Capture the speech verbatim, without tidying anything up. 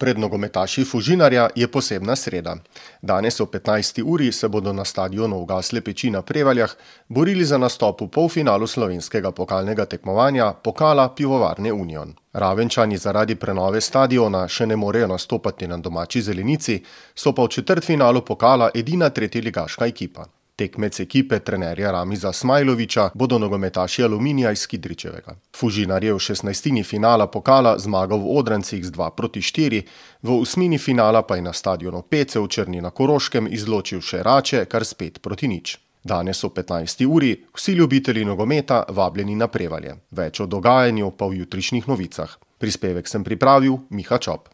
Pred nogometaši Fužinarja je posebna sreda. Danes ob petnajsti uri se bodo na stadionu Ugasle peči na Prevaljah borili za nastop v polfinalu slovenskega pokalnega tekmovanja Pokala Pivovarne Union. Ravenčani zaradi prenove stadiona še ne morejo nastopati na domači zelenici, so pa v četrtfinalu pokala edina tretjeligaška ekipa. Tekmec ekipe trenerja Ramiza Smajlovića bodo nogometaši Aluminija iz Kidričevega. Fužinar je v šestnajstini finala pokala zmagal v Odrancih z dva proti štiri, v osmini finala pa je na stadionu Pece v Črni na Koroškem izločil še Rače kar s pet proti nič. Danes ob petnajsti uri vsi ljubitelji nogometa vabljeni na Prevalje. Več o dogajanju pa v jutrišnjih novicah. Prispevek sem pripravil Miha Čop.